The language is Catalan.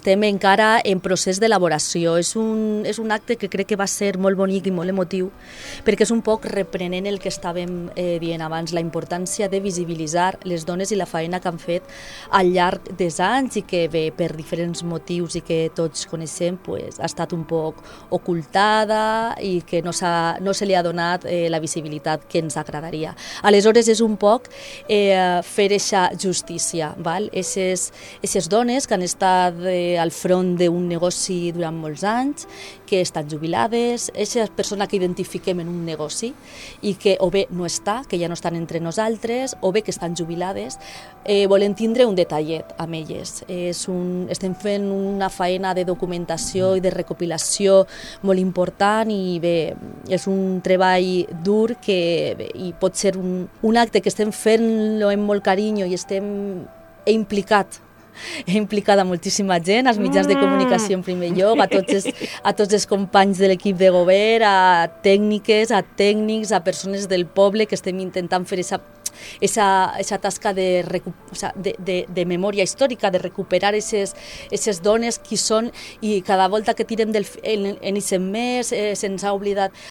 estem encara en procés d'elaboració. És un acte que crec que va ser molt bonic i molt emotiu, perquè és un poc reprenent el que estàvem dient abans, la importància de visibilitzar les dones i la feina que han fet al llarg dels anys i que bé, per diferents motius i que tots coneixem, pues, ha estat un poc ocultada i que no se li ha donat la visibilitat que ens agradaria. Aleshores és un poc fer eixa justícia, val? Eixes dones que han estat al front d'un negoci durant molts anys, que estan jubilades, eixa persona que identifiquem en un negoci i que o bé no està, que ja no estan entre nosaltres, o bé que estan jubilades, volem tindre un detallet amb elles. Estem fent una feina de documentació i de recopilació molt important i bé, és un treball dur i pot ser un acte que estem fent-lo amb molt carinyo i he implicada moltíssima gent, als mitjans de comunicació en primer lloc, a tots els companys de l'equip de govern, a tècniques, a tècnics, a persones del poble que estem intentant fer esa tasca de memòria històrica, de recuperar aquestes dones qui són, i cada volta que tirem en aquest mes se'ns ha oblidat